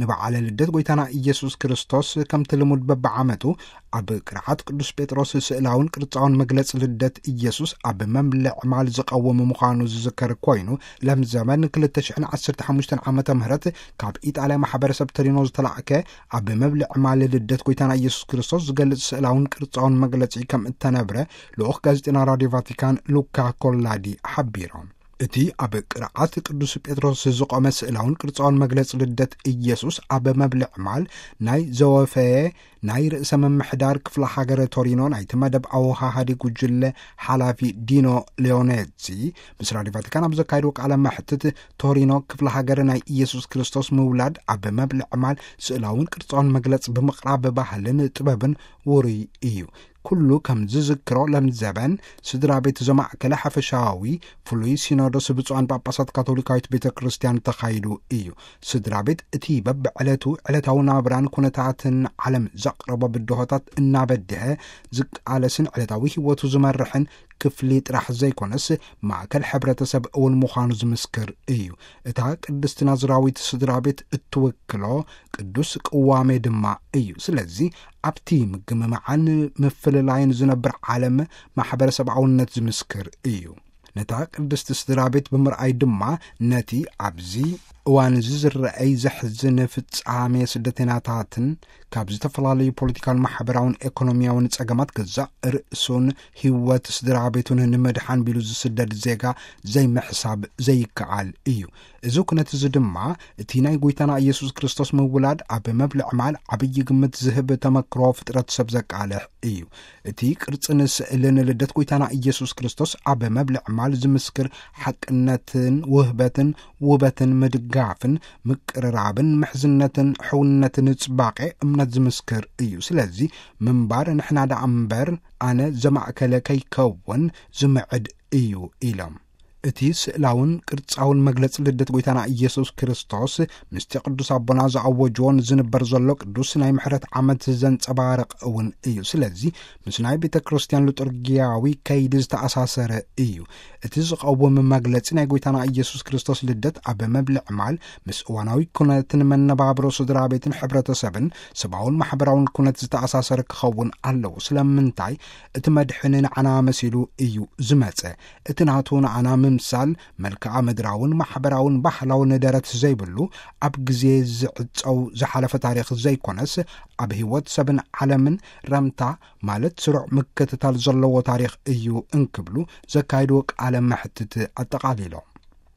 ንበዓለ ልደት ጎይታና ኢየሱስ ክርስቶስ ከምቲ ልሙድ በብዓመቱ ኣብ ቅርዓት ቅዱስ ጴጥሮስ ስእላውን ቅርጻውን መግለጺ ልደት ኢየሱስ ኣብ መብልዕ ማል ዝቐውም ምዃኑ ዝዝከር ኮይኑ፣ ለምዘመን ክልተ ሽሕን ዓሰርተ ሓሙሽተን ዓመተ ምህረት ካብ ኢጣልያ ማሕበረሰብ ተሪኖ ዝተላእከ ኣብ መብልዕ ማል ልደት ጎይታና ኢየሱስ ክርስቶስ ዝገልጽ ስእላውን ቅርጻውን መግለጺ ከም እተነብረ ልኡኽ ጋዜጠና ራድዮ ቫቲካን ሉካ ኮላዲ ሓቢሮም። እቲ ኣብ ቅርዓት ቅዱስ ጴጥሮስ ዝቖመ ስእላውን ቅርጻውን መግለጺ ልደት ኢየሱስ ኣብ መብልዕ ማል ናይ ዘወፈየ ናይ ርእሰ ምምሕዳር ክፍለ ሃገር ቶሪኖ ናይቲ መደብ ኣወሃሃዲ ጉጅለ ሓላፊ ዲኖ ሊዮኔዚ ምስ ራድዮ ቫቲካን ኣብ ዘካየድዎ ቃለ መሕትት፣ ቶሪኖ ክፍለ ሃገር ናይ ኢየሱስ ክርስቶስ ምውላድ ኣብ መብልዕ ማል ስእላውን ቅርጻውን መግለጺ ብምቕራብ ባህልን ጥበብን ውሩይ እዩ። ኩሉ ከም ዝዝክሮ ለምዘበን ስድራ ቤት ዘማእከለ ሓፈሻዊ ፍሉይ ሲኖዶስ ብፁዓን ጳጳሳት ካቶሊካዊት ቤተ ክርስቲያን ተኻይዱ እዩ። ስድራ ቤት እቲ በብዕለቱ ዕለታዊ ናብራን ኩነታትን ዓለም ዘቕረቦ ብድሆታት እናበድሀ ዝቃለስን ዕለታዊ ህይወቱ ዝመርሕን ክፍሊ ጥራሕ ዘይኮነስ ማእከል ሕብረተሰብ እውን ምዃኑ ዝምስክር እዩ። እታ ቅድስቲ ናዝራዊት ስድራ ቤት እትውክሎ ቅዱስ ቅዋሜ ድማ እዩ። ስለዚ ኣብቲ ምግምማዓን ምፍልላይን ዝነብር ዓለም ማሕበረሰብኣውነት ዝምስክር እዩ። ነታ ቅድስቲ ስድራ ቤት ብምርኣይ ድማ ነቲ ኣብዚ እዋን እዚ ዝረኣይ ዘሕዝን ፍጻሜ ስደተኛታትን ካብ ዝተፈላለዩ ፖለቲካውን ማሕበራውን ኤኮኖሚያውን ጸገማት ገዛእ ርእሱን ህይወት ስድራ ቤቱን ንምድሓን ቢሉ ዝስደድ ዜጋ ዘይምሕሳብ ዘይከኣል እዩ። እዚ ኩነት እዚ ድማ እቲ ናይ ጎይታና ኢየሱስ ክርስቶስ ምውላድ ኣብ መብልዕ ማል ዓብዪ ግምት ዝህብ ተመክሮ ፍጥረት ሰብ ዘቃልሕ እዩ። እቲ ቅርጽን ስእልን ልደት ጎይታና ኢየሱስ ክርስቶስ ኣብ መብልዕ ማል ዝምስክር ሓቅነትን ውህበትን ውበትን ምድጋፍን ምቅርራብን ምሕዝነትን ሕውነትን ጽባቄ እምነት ዝምስክር እዩ። ስለዚ ምንባር ንሕና ደኣ እምበር ኣነ ዘማእከለ ከይከውን ዝምዕድ እዩ ኢሎም። እቲ ስእላውን ቅርጻውን መግለጺ ልደት ጎይታና ኢየሱስ ክርስቶስ ምስቲ ቅዱስ ኣቦና ዝኣወጅዎን ዝንበር ዘሎ ቅዱስ ናይ ምሕረት ዓመት ዘንጸባርቕ እውን እዩ። ስለዚ ምስ ናይ ቤተ ክርስቲያን ሉጥርጊያዊ ከይዲ ዝተኣሳሰረ እዩ። እቲ ዝቐውም መግለጺ ናይ ጎይታና ኢየሱስ ክርስቶስ ልደት ኣብ መብልዕ ማል ምስ እዋናዊ ኩነትን መነባብሮ ስድራ ቤትን ሕብረተሰብን ሰብኣውን ማሕበራውን ኩነት ዝተኣሳሰረ ክኸውን ኣለዎ። ስለምንታይ? እቲ መድሕን ንዓና መሲሉ እዩ ዝመጸ። እቲ ናቱ ንዓና ምምሳል መልክዓ ምድራውን ማሕበራውን ባህላውን ደረት ዘይብሉ ኣብ ግዜ ዝዕጸው ዝሓለፈ ታሪኽ ዘይኮነስ ኣብ ህይወት ሰብን ዓለምን ረምታ ማለት ስሩዕ ምክትታል ዘለዎ ታሪኽ እዩ እንክብሉ ዘካይድዎ ቃለ መሕትት ኣጠቓሊሎም።